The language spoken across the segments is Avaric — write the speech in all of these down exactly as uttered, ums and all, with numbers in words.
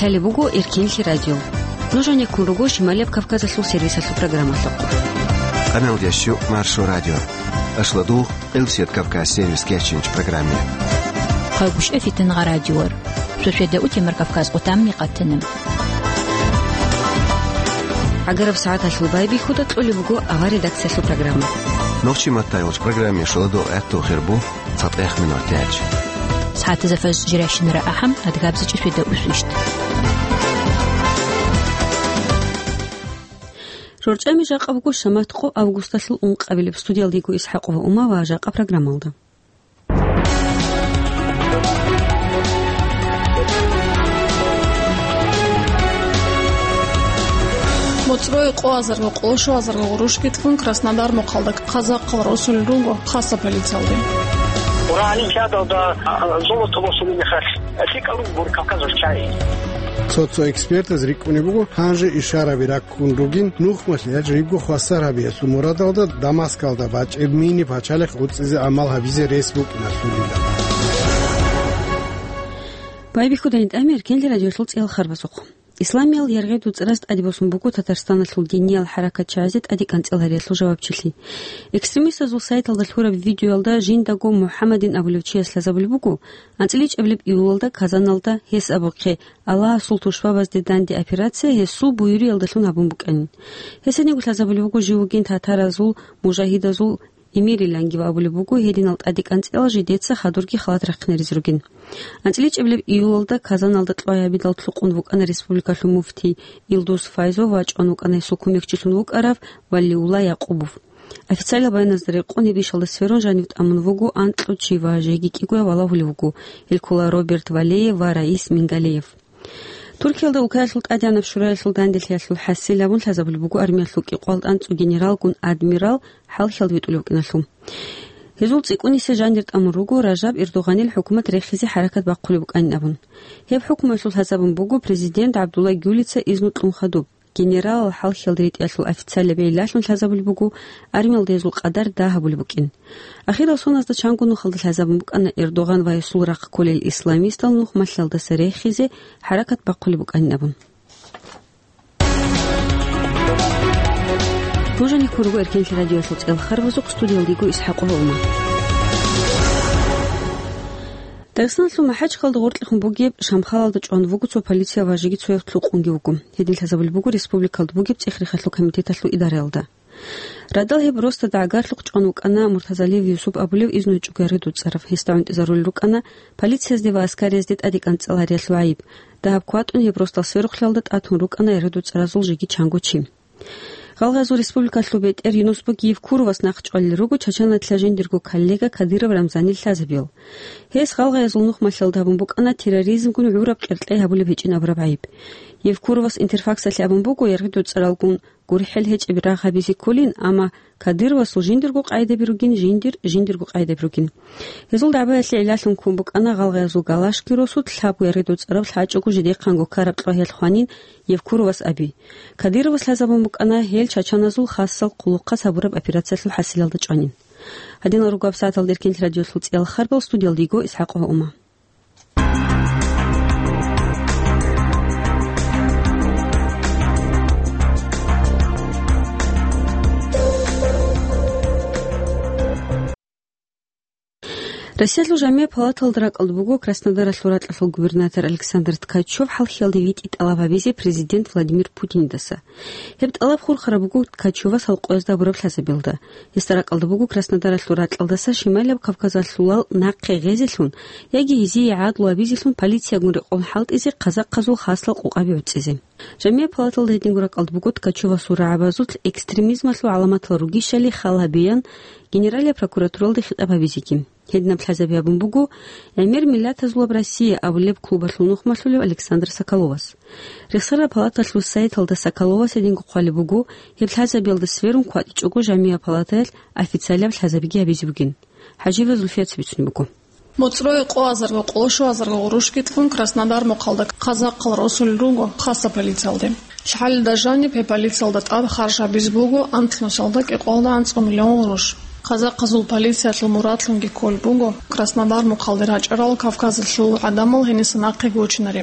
Лъалеб буго Эркенлъи радио. Нуж гьанеккун руго Шималияб Кавказалъул сервисалъул программалъухъ. Къаналдящу Маршо радио. Ашладугъ Элсият Кавказ сервис кечинч программе. Хъагушев Фитингъа радиор. Суседа утемар Кавказ къутамни къатана. ГӀагараб сагӀаталъул байбихьуда кьолеб буго авар редакциялъул программа. Нохчи маттайолч программе шоладо гӀатту хирбу. ЦатӀехъ минутач. СагӀатазда фажр жиращинара ахӀам, адгабзичӀи светаусвищ. ЖорчӀами жакъа буго шамат къо августалъул ункъабилеб. Студиялда йиго ИсхӀакъ ва Ума ва жакъа программалда. МоцӀрое къоазарго къолошоазарго гъурущги тун Краснодар мухъалда казахъал росулел руго хасаб полициялде. Олимпиадалда, а, золото босулеб мехалъ, лъикӀал руго Кавказалъ чагӀи. Цо-цо экспертаз рикӀкӀунеб буго, гьанже ишараби раккун ругин, нухмалъ яж рибго хвасар гьабиялъул мурадалда Дамаскалда бачӀеб мини пачалихъ гъуцӀизе гӀамал гьабизе рес букӀиналъулила. Байбихьудайин тӀами Эркенлъи радиолъул цӀиял харбазухъ. Исламиял яргъи дуцӀраз тӀаде босун буго Татарстаналъул диниял хӀаракатчагӀазе тӀаде кӀанцӀал гьариялъул жавабчилъи. Экстремистазул сайталда лъураб видеоялда жиндаго МухӀаммадин абулев чияс лъазабулеб буго, анцӀила чӀебилеб июлалда Казаналда гьес абухъе Аллагьасул тушбабазде данде операция гьесул буюриялдалъун гьабун букӀанин. Гьес гьединго лъазабулеб буго жив вугин татаразул мужагьидазул эмириланги ва абулеб буго, гьединал тӀаде кӀанцӀила жидеца хадурги халат рахъинаризе ругин. АнцӀила чӀебилеб июлалда Казаналда кьвай гьабидал лъукъун вукӀана республикалъул муфтий Илдус Файзов ва чӀван вукӀана гьесул кумекчилъун вукӀарав Валиулла Якъубов. Официалаб баяназда рекъон, гьеб ишалда сверун жанив тӀамун вуго анкьго чи ва жеги кӀиго валагьулев вуго, гьел ккола Роберт Валеев ва Раис Мингалеев. Туркиялда Улкаялъул ТӀадегӀанаб Шураялъул данделъиялъул хӀасил абун лъазабулеб буго армиялъул кӀикъоялда анцӀго генералгун адмирал хӀалхьалда витӀулев вукӀиналъул. Гьезул цӀикӀкӀунисеб жанир тӀамун руго Ражаб Эрдогъанил хӀукумат рехизе хӀаракат бахъулеб букӀанин абун. Гьеб хӀукмуялъул лъазабун буго президент ГӀабдулла Гюлица изну кьун хадуб, генералал хӀалхьалда ритӀиялъул официалаб гӀиллалъун лъазабулеб буго, армиялда гьезул къадар дагь гьабулеб букӀин. Ахирал соназда чанго нухалда лъазабун букӀана Эрдогъан ва гьесул рахъ кколел исламистал нухмалъалдаса рехизе хӀаракат бахъулеб букӀанин абун. Нуж гьанеккун руго Эркенлъи радиоялъул цӀиял харбазухъ, студиялда йиго ИсхӀакъ ва Ума. Дагъистаналъул МахӀачкъалда гъоркьехун бугеб Шамхалалда чӀван вуго цо полиция ва жеги цояв лъукъунги вуго. Гьедин лъазабулеб буго республикалда бугеб цӀех-рехалъул комитеталъул идараялда. Радал гьеб росдада гӀагарлъухъ чӀван вукӀана Муртазалиев Юсуп абулев изну гьечӀого яргъи дуцӀарав. Гьесда гӀунтӀизарулел рукӀана полициязде ва аскариязде тӀаде кӀанцӀал гьариялъул гӀайиб, дагьаб кватӀун гьеб росдал сверухълъиялда тӀатун рукӀана яргъи дуцӀаразул жеги чанго чи. Гъалгъазул республикалъул бетӀер Юнус Буги Евкуровас нахъчӀвалел руго Чачаналъа жиндирго коллега Кадыров Рамзанил лъазабиял. Гьес гъалгъаязул нухмалъалда гьабун букӀана терроризмгун гӀураб къеркьей гьабулеб гьечӀин абураб гӀайиб. Евкуровас Интерфаксалъе абун буго, яргъи дуцӀаралгун гурхӀел гьечӀеб рагъ гьабизе кколин, амма Кадыровасул жиндирго къайдаби ругин, жиндир жиндирго къайдаби ругин. Гьезул дагӀбаялъе гӀиллалъун ккун букӀана гъалгъаязул галашги росулъ лъабго яргъи дуцӀарав лъачӀого жидехъанго ккараб кьвагьиялъ хванин Евкуровас аби. Кадыровас лъазабун букӀана гьел чачаназул хасал хъулухъаз гьабураб операциялъул хӀасилалда чӀванин. Гьадинал руго гьаб сагӀаталда Эркенлъи радиолъул цӀиял харбал, студиялда йиго ИсхӀакъ ва Ума. Россиялъул жамигӀ палаталда ракӀалда буго Краснодаралъул ракьалъул губернатор Александр Ткачев хӀалхьиялде витӀи тӀалаб гьабизе президент Владимир Путиндаса. Гьеб тӀалаб хурхараб буго Ткачевас гьалкъоязда гьабураб лъазабиялда. Гьесда ракӀалда буго Краснодаралъул ракьалдаса Шималияб Кавказалъулал нахъе гъезелъун яги гьезие гӀадлу гьабизелъун полициягун рекъон хӀалтӀизе, казахъазул хасал къокъаби гӀуцӀизе. ЖамигӀ палаталда гьединго ракӀалда буго Ткачевасул рагӀабазулъ экстремизмалъул гӀаламатал ругищали хал гьабеян Генералияб прокуратуралде хитӀаб гьабизеги. Гьединаб лъазаби гьабун буго «ГӀемер миллатазулаб Россия» абулеб клубалъул нухмалъулев Александр Соколовас. Рехсараб палаталъул сайталда Соколовас гьединго хъвалеб буго, гьеб лъазабиялда сверун кватӀичӀого жамигӀ палатаялъ официалаб лъазабиги гьабизе бугин. ХӀажиева Зульфияца бицунеб буго. МоцӀрое къоазарго къолошоазарго гъурущги тун Краснодар мухъалда казахъал росулел руго хасаб полициялде. Лъалеб жаниб гьеб полициялда тӀад харж гьабизе буго анлънусалда кӀикъоялда анцӀго миллион гъурущ. Казахъазул полициялъул мурадлъунги кколеб буго Краснодар мухъалде рачӀарал Кавказалъул гӀадамал гьениса нахъе гочинари.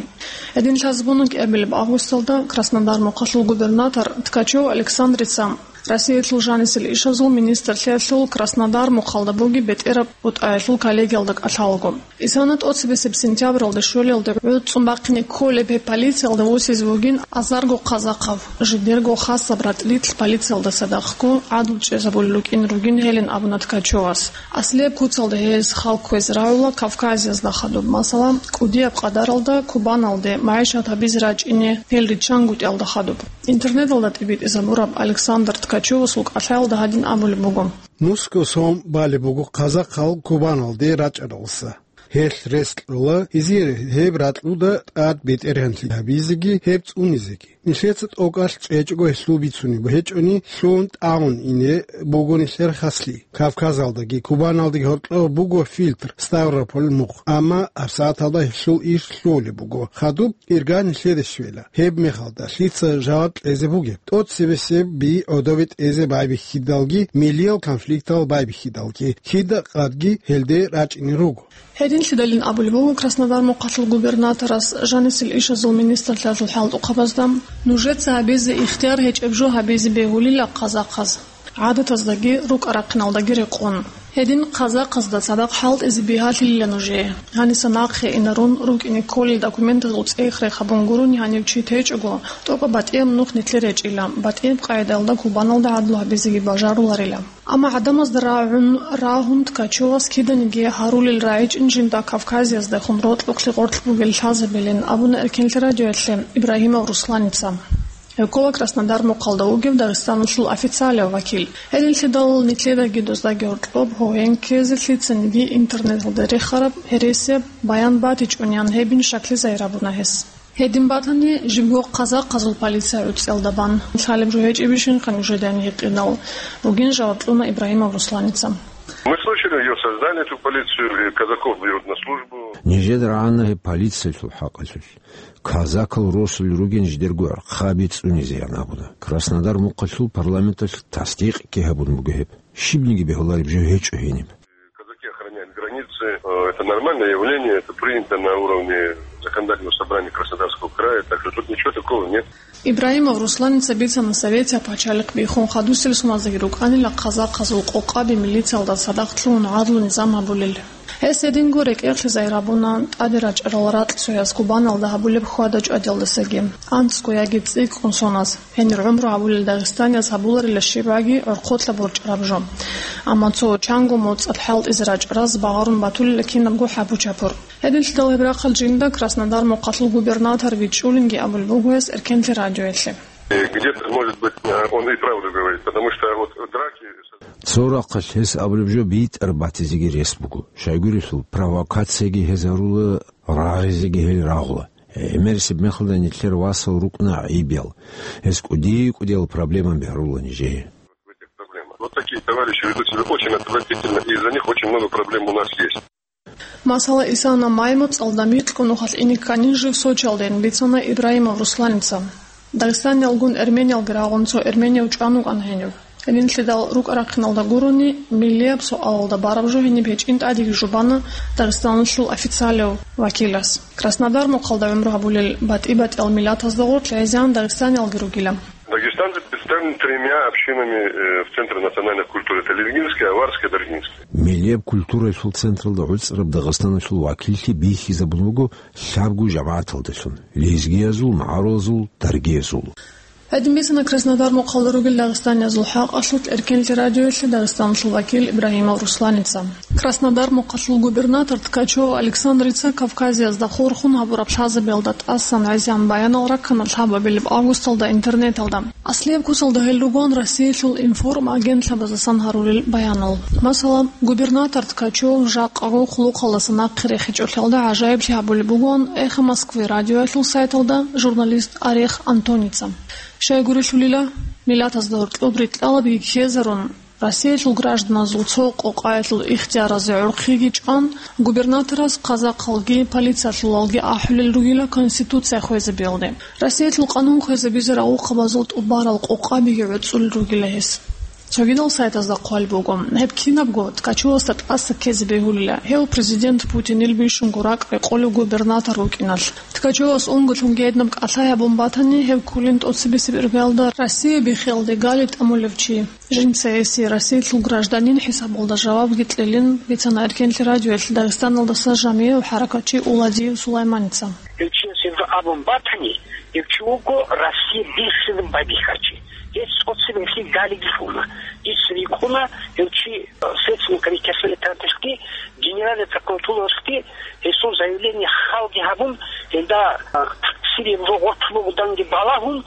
Гьедин лъазабуна кӀиабилеб августалда Краснодар мухъалъул губернатор Ткачев Александрица Россиялъул жанисел ишазул министрлъиялъул Краснодар мухъалда бугеб бетӀераб бутӀаялъул коллегиялда кӀалъалаго. Исана тӀоцебесеб сентябралда щолелда гӀуцӀун бахъине кколеб гьеб полициялда восизе вугин азарго казахъав, жидерго хасаб ратӀлилъ полициялда цадахъго гӀадлу чӀезабулел рукӀин ругин гьелин абуна Ткачевас. Аслияб куцалда гьез хал кквезе рагӀула Кавказиязда хадуб, масала, кӀудияб къадаралда Кубаналде магӀишат гьабизе рачӀине гьел риччангутӀиялда хадуб. Интернеталда тӀибитӀизабураб Александр Ткачевасул кӀалъаялда гьадин абулеб буго. Нусго сон балеб буго казахъал Кубаналде рачӀаралса. Гьелъ рес кьола, гьезие гьеб ракьуда тӀад бетӀергьанлъи гьабизеги, гьеб цӀунизеги. Нилъеца тӀокӀалъ чӀечӀого гьелъул бицунеб гьечӀони, лъугьун тӀагӀун ине буго нилъер хаслъи. Кавказалдаги Кубаналдаги гьоркьоб буго фильтр Ставрополь мухъ, амма гьабсагӀаталда гьелъул иш лъугьулеб буго. Хадуб ирга нилъеде щвела. Гьеб мехалда лъица жаваб кьезе бугеб? ТӀоцебесеб би гӀодобе тӀезе байбихьидалги, милиял конфликтал байбихьидалги, кида къадги гьелде рачӀине руго. Гьединлъидалин абулеб буго Краснодар мухъалъул губернаторас жанисел ишазул министрлъиялъул хӀалтӀухъабазда: «Нужеца гьабизе ихтияр гьечӀеб жо гьабизе бегьулила казахъаз, гӀадатаздаги рукӀа-рахъиналдаги рекъон. Гьедин казахъазда цадахъ хӀалтӀизе бигьалъилила нужее. Гьаниса нахъе инарун, рукӀине кколел документазул цӀех-рех гьабун гурони гьанив чи течӀого, тӀокӀаб батӀияб нух нилъер гьечӀила, батӀияб къагӀидаялда Кубаналда гӀадлу гьабизеги бажаруларила». Амма гӀадамазда рагӀун, рагьун Ткачевас киданиги гьарулел рагӀичӀин жинда Кавказияздехун рокьухълъи гъоркь бугел лъазабилин абуна Эркенлъи радиоялъе Ибрагьимов Русланица. Гьев ккола Краснодар мухъалда вугев Дагъистаналъул официалияв вакил. Гьединлъидал нилъедаги доздаги гьоркьоб гьогьен ккезе лъицаниги интернеталда рехараб гьересияб баян батичӀониан гьебин щаклъизайрабуна гьес. Гьедин батани, жибго казахъазул полиция гӀуцӀиялда бан. Лъалеб жо гьечӀебищинха нужеда гьикъидал? Бугин жаваб кьуна Ибрагьимов Русланица. Мы слышали, её создали, эту полицию, и казаков берут на службу. Нижеда рагӀана гьеб полициялъул хӀакъалъулъ. Казакал росулел ругин жидерго гӀурхъаби цӀунизеян абуна. Краснодар мухъалъул парламенталъ тасдикъги гьабун буго гьеб. Щибниги бегьулареб жо гьечӀо гьениб. Казаки охраняют границы. Э, это нормальное явление, это принято на уровне законодательного собрания Краснодарского края, так что тут ничего такого нет. Ибрагьимов Русланица бицана Советияб пачалихъ биххун хадусел суназдаги рукӀанила казахъазул къокъаби милициялда цадахъ лъугьун гӀадлу низам гьабулел. Гьес гьединго рекӀелъизайрабуна тӀаде рачӀарал ракьцояс Кубаналда гьабулеб хьвада-чӀвадиялдасаги, анцӀго яги цӀикӀкӀун соназ. Гьенир гӀумру гьабулел дагъистанияз гьабуларила щибгӀаги гӀорхъолъа борчӀараб жо. Амма цо чанго моцӀалъ хӀалтӀизе рачӀараз багъарун батулила кинабго хӀапу-чапур. Гьединлъидал гьеб рахъал жинда Краснодар мухъалъул губернатор вичӀчӀулинги абулеб буго гьес Эркенлъи радиоялъе. Э, где-то, может быть, э, он и правду говорит, потому что вот драки... Цо рахъалъ гьес абулеб жо битӀараб батизеги рес буго. Щайгурелъул провокацияги гьез гьарула, рагъизеги гьел рагъула. ГӀемерисеб мехалда нилъер васал рукӀуна гӀайибиял. Гьез кӀуди-кӀудиял проблемаби гьарула нижее. Вот такие товарищи ведут себя очень отвратительно, и из-за них очень много проблем у нас есть. Масала, исана май моцӀалда микьго нухалъ ине кканин жив Сочиялдайин бицана Ибрагьимов Русланица. Дагъистаниялгун эрмениялги рагъун цо эрменияв чӀван вукӀана гьенив. Гьединлъидал рукӀа-рахъиналда гурони, миллияб суалалда бараб жо гьениб гьечӀин тӀадеги жубана Дагъистаналъул официалияв вакилас. Краснодар мухъалда гӀумру гьабулел батӀи-батӀиял миллатазда гъорлъ гӀезегӀан дагъистаниялги ругила. Дагестанцы представлены тремя общинами, э, в Центре национальной культуры. Это лезгинская, аварская, даргинская. Миллияб культуралъул централда гӀуцӀараб Дагъистаналъул вакиллъи бихьизабун буго лъабго жамагӀаталдалъун: лезгиязул, магӀарулазул, даргиязул. Гьедин бицана Краснодар мухъалда ругел дагъистаниязул хӀакъалъулъ Эркенлъи радиоялъе Дагъистаналъул вакил Ибрагьимов Русланица. Краснодар мухъалъул губернатор Ткачев Александрица Кавказиязда хурхун гьабураб лъазабиялда тӀасан гӀезегӀан баянал раккана лъабабилеб августалда интернеталда. Аслияб куцалда гьел ругоан Россиялъул информагентлъабаздасан гьарулел баянал. Масала, губернатор Ткачев жакъаго хъулухъалдаса нахъе рехичӀолъиялда гӀажаиблъи гьабулеб бугоан «Эхо Москвы» радиоялъул сайталда журналист Орех Антоница. Щайгурелъулила, миллатазда гьоркьоб рикьалабги ккезарун, Россиялъул гражданазул цо къокъаялъул ихтияразе гӀурхъиги чӀван, губернаторас казахъалги полициялъулалги ахӀулел ругила Конституция хвезабиялде. Россиялъул къанун хвезабизе рагъухъабазул тӀубарал къокъабиги гӀуцӀулел ругила гьес. Цогидал сайтазда хъвалеб буго, гьеб кинабго Ткачевасда тӀаса ккезе бегьулила, гьев президент Путинил бищунго ракӀ рекъолев губернатор вукӀиналъ. Ткачевас унго лъунги гьединаб кӀалъай гьабун батани, гьев кколин тӀоцебесеб иргаялда Россия биххиялде гали тӀамулев чи. Жинца гьесие Россиялъул гражданин хӀисабалда жавабги кьелин бицана Эркенлъи радиоялъ Дагъистаналдаса жамигӀав хӀаракатчи Уладиев Сулайманица. Гьев чияс гьеб абун батани, гьев чи вуго Россия биххизаб байбихьарчи. Гьес цӀоцеб гьелъие галиги лъугьуна. Дица рикӀкӀуна, гьев чи, э, Следственный комитеталъул этапалъги, Генеральный прокуратуралъги гьесул заявление халги гьабун, гьелда, э, таксире рогъотлъугъ данде балагьун,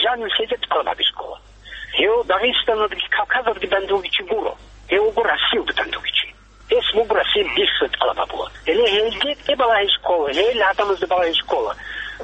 жанив лъезе тӀалаб гьабизе ккола. Гьев Дагъистаналдаги Кавказалдаги данде вугев чи гуро. Гьев вуго Россиялда данде вугев чи. Гьес вуго Россия биххизе тӀалаб гьабула. Гьеле гьелде тӀе балагьизе ккола, гьел гӀадамазда балагьизе ккола.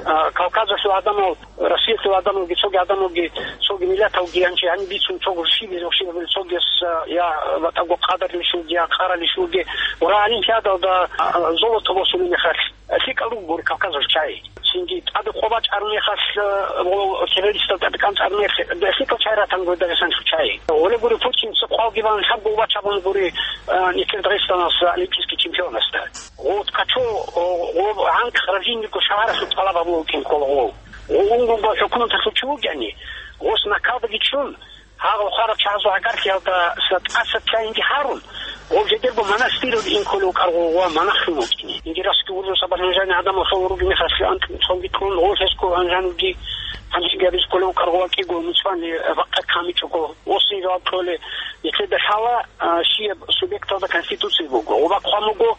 А, Кавказалъул гӀадамал, Россиялъул гӀадамалги, цоги гӀадамалги, цоги миллаталги гьанже гьаниб бицун цо гурщибизе, гурщибабилеб цогияс, а, я батӀаго къадарилищулги, я къаралищулги. Ва олимпиадалда, а, золото босулеб мехалъ, а, лъикӀал руго гури Кавказалъул чагӀи. Цинги тӀаде къо бачӀараб мехалъ, э, гъо-, террористал тӀаде кӀанцӀараб мехалъ, лъикӀал чагӀи ратана гури Дагъистаналъул чагӀи. Гьеле гури Путинца хъвалги бан лъабго убач гьабуна гури, э, нилъер Дагъистаналъ олимпийский чемпионасда. Гъо Ткачев, о, гъо гьанкӀ Храбинниго шагьаралъул тӀалаб гьабулев вукӀин ккола гъов. Гъо унго-унго хӀукуматалъул чи вукӀани, гъос накалдаги чӀун, гьагъал хварал чагӀазул гӀагарлъиялда тӀаса цайинги гьарун, гъов жидерго монастыралде ин кколев вукӀаргъу ва монахлъун вукӀине. Ингирасги уржуса бажанжани гӀадамал хъулал ругел мехалъ анкь цонги кьун, гъов лъесго гьанжануги гьанжеги гьабизе кколев вукӀаргъу ва кӀиго муцӀвани бакъа камичӀого, осин жаваб кьоле. Нилъеда лъала, а, щияб субъекталда конституция буго. Гъоба хъван буго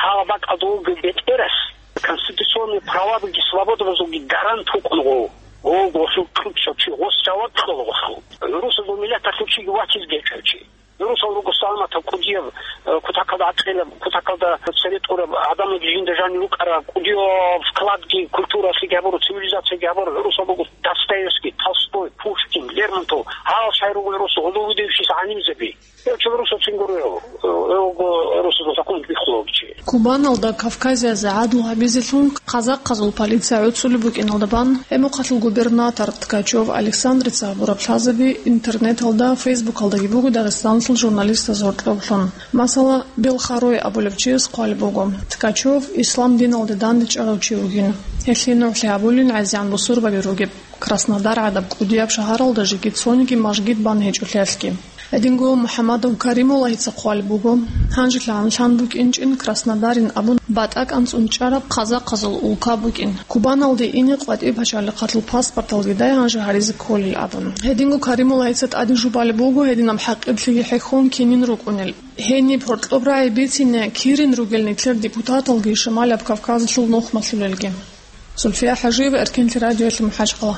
гьала бакӀалда вугев бетӀерас конституционный правабаги свободабазулги гарант вукӀун гъов. Гъов гъосул кьучӀав чи гъос жаваб кьола гъосул. Русазул миллаталъул чиги ватизе гьечӀев чи. Русал руго саламатаб, кӀудияб, э, кутакалда гӀакъилаб, кутакалда цере тӀураб, гӀадамалги жинда жанив рукӀараб, кӀудияб вкладги культуралъеги гьабураб, цивилизациялъеги гьабураб. Русал руго Достоевский, Толстой, Пушкин, Лермонтов. Гьал шай руго русу гьудул-вудевщиса гӀалимзаби. Гьев чи русуцин гуро, гьев, гьев вуго русузул закон биххулев чи. Кубаналда Кавказиязе гӀадлу гьабизелъун казахъазул полиция гӀуцӀулеб букӀиналда бан, гьеб мухъалъул губернатор Ткачев Александрица гьабураб лъазаби интернеталда, фейсбукалдаги буго Дагъистаналъул журналистаз гьоркьоблъун. Масала, Белхарой абулев чияс хъвалеб буго, Ткачев ислам диналде дандечӀарав чи вугин. Гьелъие нугӀлъи гьабулин гӀезегӀан бусурбаби ругеб. Краснодар гӀадаб кӀудияб шагьаралда жеги цониги мажгит бан гьечӀолъиялъги. Гьединго МухӀаммадов Каримуллагьица хъвалеб буго, гьанжелъ гьанлъан букӀинчӀин Краснодарин абун батӀа кӀанцӀун чӀараб казахъазул улка букӀин. Кубаналде ине къватӀиб пачалихъалъул паспорталги дай гьанже гьаризе кколел абун. Гьединго Каримуллагьица тӀаде жубалеб буго гьединаб хӀакъиблъиги хӀехьон кинин рукӀунел. Гьениб гьоркьоб рагӀи бицине кирин ругел нилъер депутаталги Шамалияб Кавказалъул нухмалъулелги. Зульфия ХӀажиева, Эркенлъи радиоялъ МухӀажгьала.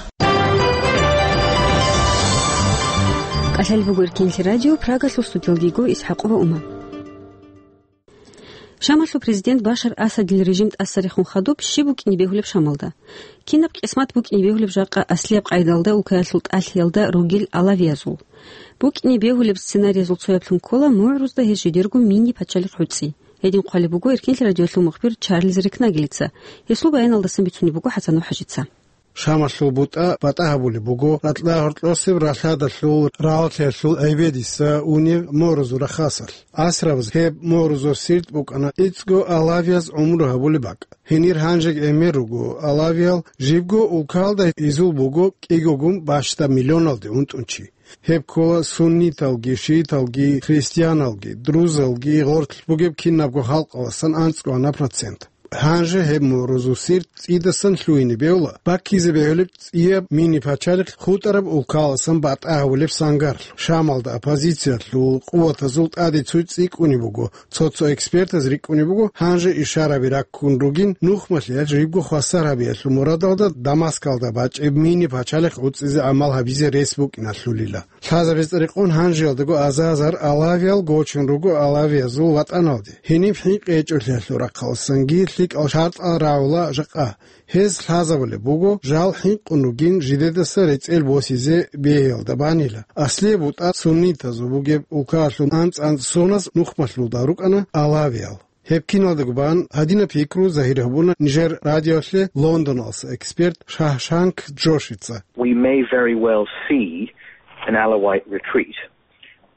КӀалъалеб буго Эркенлъи радио, Прагалъул студиялдего ИсхӀакъова Ума. Шамалъул президент Башар Асадил режим тӀасарехун хадуб щиб букӀине бегьулеб Шамалда? Кинаб къисмат букӀине бегьулеб жакъа аслияб къайдалда улкаялъул тӀалъиялда ругел алавиязул? БукӀине бегьулеб сценариязул цояблъун ккола мугӀрузда гьез жидерго мини-пачалихъ гӀуцӀи. Гьедин хъвалеб буго Эркенлъи радиоялъул мухбир Чарльз Рекнагелица. Гьесул баяналдасан бицунеб буго ХӀасанов ХӀажица. Шамалъул бутӀа батӀа гьабулеб буго ракьа гьоркьосеб ралъадалъул рагӀалъиялъул гӀебедиса унеб морузул рахасалъ. Асрабаз гьеб морузул сирт букӀана ицӀго алавияз гӀумру гьабулеб бакӀ. Гьенир гьанжеги гӀемер руго алавиял, жибго улкалда изул буго кӀигогун бащдаб миллионалде унтӀун чи. Гьеб ккола сунниталги, шииталги, христианалги, друзалги, гъорлъ бугеб кинабго халкъаласан анцӀго ана процент. Гьанже гьеб морузул сирт цӀидасан лъугьине бегьула, баккизе бегьулеб цӀияб мини-пачалихъ хутӀараб улкаласан батӀа гьавулеб сангарлъ. Шамалда оппозициялъул къуватазул тӀаде цо цӀикӀкӀунеб буго. Цо-цо экспертаз рикӀкӀунеб буго, гьанже ишараби раккун ругин, нухмалъиялъ жибго хвасар гьабиялъул мурадалда Дамаскалда бачӀеб мини-пачалихъ гӀуцӀизе гӀамал гьабизе рес букӀиналъулила. Лъазабиз рекъон гьанжеялдаго азазар алавиял гочун руго алавиязул ватӀаналде. Гьениб хӀинкъи гьечӀолъиялъул рахъаласанги лъикӀал шартӀал рагӀула жакъа. Гьез лъазабулеб буго жал хӀинкъун ругин жидедаса рецӀел босизе бегьиялда банила. Аслияб бутӀа суннитазул бугеб улкаялъул анцӀ-анцӀ соназ нухмалъулда рукӀана алавиял. Гьеб киналдаго бан гьадинаб пикру загьир гьабуна нижер радиоялъе Лондоналъуса эксперт Шагьшанг Джошица. We may very well see an Alawite retreat.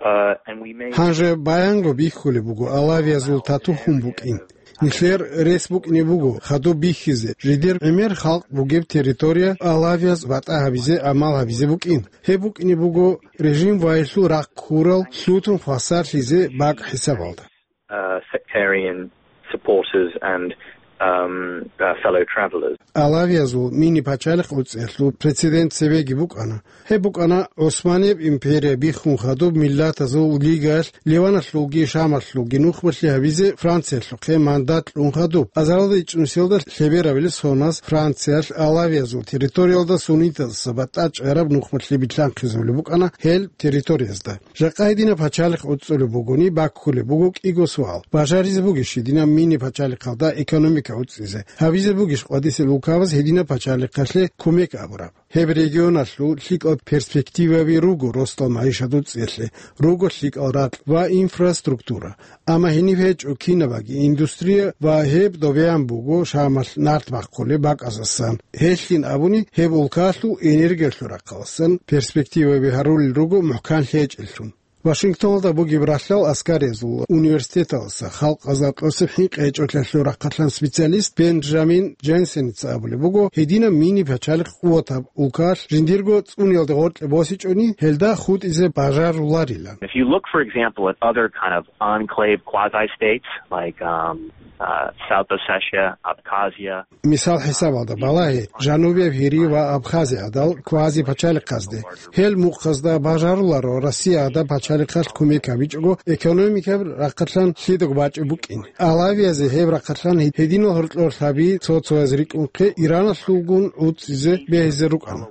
Uh, and we may Гьанже баянго бихьулеб буго алавиязул тату хун букӀин. Нилъер рес букӀине буго хадуб бихьизе, жидер гӀемер халкъ бугеб территория алавияз батӀа гьабизе, амал гьабизе букӀин. Гьеб букӀине буго режим вайилъул рахъ ккурал лъутун хвасарлъизе бакӀ хӀисабалда. Uh, sectarian supporters and, um, uh, fellow travelers. Алавиязул мини пачалихъ уцӀиялъул прецедент цебеги букӀана. Гьеб букӀана ГӀусманияб империя биххун хадуб Миллатазул лигаялъ Ливаналъулги Шамалъулги нухмалъи гьабизе Франциялъухъе мандат кьун хадуб. Азаралда ичӀнусиялда лъеберабили соназ Франциялъ алавиязул территориялда суннитазаса батӀа чӀараб нухмалъи билълъанхъизабулеб букӀана гьел территориязда. Жакъа гьединаб пачалихъ уцӀцӀулеб бугони, баккулеб буго кӀиго суал. Бажаризе бугищ гьединаб мини пачалихъалда экономика уцӀцӀизе? Гьабизе бугищ къвадисел улкабаз гьединаб пачалихъалъе кумек абураб? Гьеб регионалъул лъикӀал перспективаби руго росдал магӀишат уцӀцӀиялъе, руго лъикӀал ракь ва инфраструктура. Амма гьениб гьечӀо кинабаги индустрия ва гьеб добеян буго Шамалъ нарт бахъулеб бакӀаздасан. Гьелъин абуни, гьеб улкалъул энергиялъул рахъаласан перспективаби гьарулел руго мухӀкан лъечӀеллъун. Вашингтоналда бугеб ралъдал аскариязул университеталдаса халкъазда кьосеб хӀинкъи гьечӀолъиялъул рахъалъан специалист Бенджамин Дженсеница абулеб буго, гьединаб мини пачалихъ къуватаб улкалъ жиндирго цӀуниялде гъоркье босичӀони, гьелда хутӀизе бажаруларилан. If you look, for example, at other kind of enclave quasi-states like, um, uh, South Ossetia, Abkhazia, Мисал хӀисабалда балагье, Жанубияб Гьирия ва Абхазия гӀадал квази-пачалихъазде. Гьел мухъазда бажаруларо Россия гӀадаб пачалихъалъ кумек гьабичӀого экономикаб рахъалъан лъидаго бачӀеб букӀин. Алавиязе гьеб рахъалъан гьединал гьоркьор лъаби цо-цояз рикӀкӀунхъе Ираналъулгун гӀуцӀизе бегьизе рукӀана.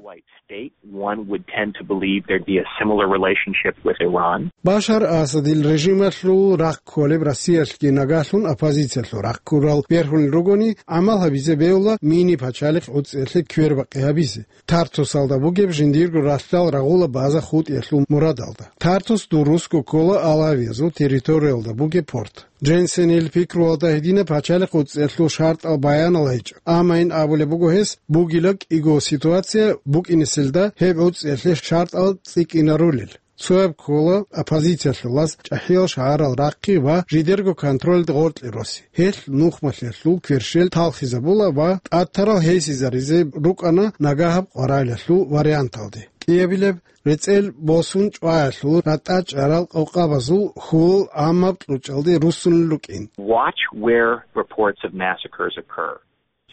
State, one would tend to believe there'd be a similar relationship with Iran. Башар Асадил режималъул рахъ кколеб Россиялъги нагагьлъун оппозициялъул рахъ ккурал бергьунел ругони, гӀамал гьабизе бегьула мини пачалихъ гӀуцӀиялъе квербакъи гьабизе. Тартусалда бугеб жиндирго ралъдал рагъула база хутӀиялъул мурадалда. Тартус дурусго ккола алавиязул территориялда бугеб порт. Дженсенил пикруялда гьединаб пачалихъ гӀуцӀиялъул шартӀал баянал гьечӀо, амма ин абулеб буго гьес бугила кӀиго ситуация букӀинеселда гьеб гӀуцӀиялъе шартӀал цӀикӀкӀинарулел. Цояб ккола оппозициялъулаз чӀахӀиял шагьарал рахъи ва жидерго контрольде гъоркье роси. Гьелъ нухмалъиялъул кверщел талхизабула ва тӀатарал гьесизаризе рукӀана нагагьаб къварилъиялъул варианталде. КӀиабилеб, рецӀел босун чӀваялъул ратӀа чӀарал къокъабазул хьул гӀаммаб кьучӀалде руссунел рукӀин. Watch where reports of massacres occur.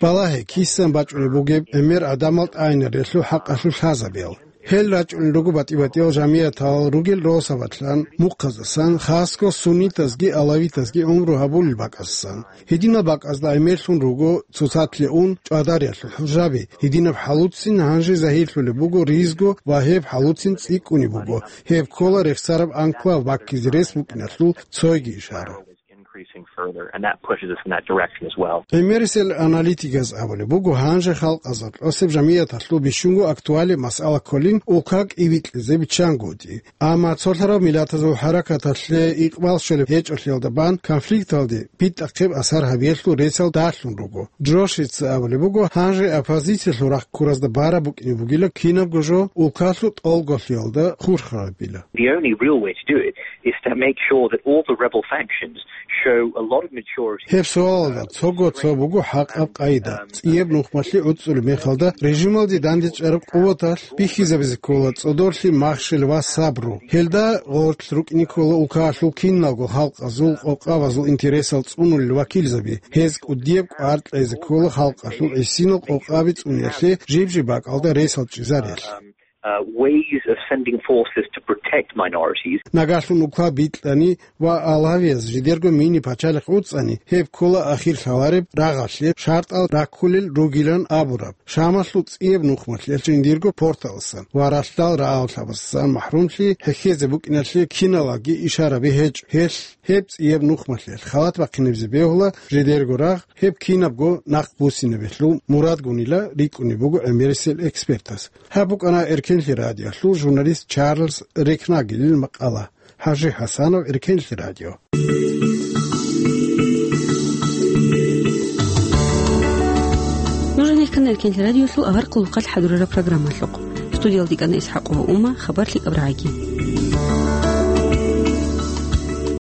Балагье, кисан бачӀунеб бугеб гӀемер гӀадамал тӀайинарелъул хӀакъалъулъ лъазабиял. Гьел рачӀунел руго батӀи-батӀиял жамиятал ругел росабалъан, мухъаздасан, хасго суннитазги алавитазги гӀумру гьабулел бакӀаздасан. Гьединал бакӀазда гӀемерлъун руго цоцалъе ун чӀвадариялъул хӀужаби, гьединаб хӀалуцин гьанже загьирлъулеб буго ризго ва гьеб хӀалуцин цӀикӀкӀунеб буго, гьеб ккола рехсараб анклав баккизе рес букӀиналъул цойги ишара. Increasing further, and that pushes us in that direction as well. ГӀемерисел аналитиказ абулеб буго, гьанже халкъазда кьосеб жамияталъул бищунго актуалеб масъала кколин улка кӀибикьизе биччангоги. Амма цолъарав миллатазул хӀаракаталъе икъбал щолеб гьечӀолъиялда бан конфликталде битӀахъеб асар гьабиялъул ресал далъун руго. Джошица абулеб буго, гьанже оппозициялъул рахъ ккуразда бараб букӀине бугила кинабго жо улкалъул тӀолголъиялда хурхарабила. The only real way to do it is to make sure that all the rebel factions show a lot of maturity. Гьеб суалалда цого цо буго хӀакъаб къайда. ЦӀияб нухмалъи гӀуцӀулеб мехалда режималде дандечӀараб къуваталъ бихьизабизе ккола цӀодорлъи, махщел ва сабру. Гьелда гъорлъ рукӀине ккола улкалъул киналго халкъазул къокъабазул интересал цӀунулел вакилзаби. Гьез кӀудияб кӀвар кьезе ккола халкъалъул гӀисинал къокъаби цӀуниялъе жиб-жиб бакӀалда ресал чӀезариялъе. Uh, ways of sending forces to protect minorities. Нагагьлъун улка битӀани ва алавияз жидерго мини пачалихъ уцӀани, гьеб ккола ахир лъалареб рагъалъе шартӀал раккулел ругилан абураб. Шамалъул цӀияб нухмалъиялъ жиндирго порталасан ва ралъдал рагӀаллъабазасан махӀрумлъи хӀехьезе букӀиналъе киналаги ишараби гьечӀо. Гьелъ гьеб цӀияб нухмалъиялъ халат бахъинабизе бегьула жидерго рагъ, гьеб кинабго нахъ буссинабилъул мурадгунила рикӀкӀунеб буго гӀемерисел экспертас. Гьаб букӀана Эркенлъи радиолъул журналист Чарльз Рекнагелил макъала. ХӀажи ХӀасанов, Эркенлъи радио. Нуж гьанир ккана Эркенлъи радиолъул авар къулухъалъ хӀадурараб программалъухъ. Студиялда ккана ИсхӀакъова Ума, хабар лъикӀаб рагӀаги.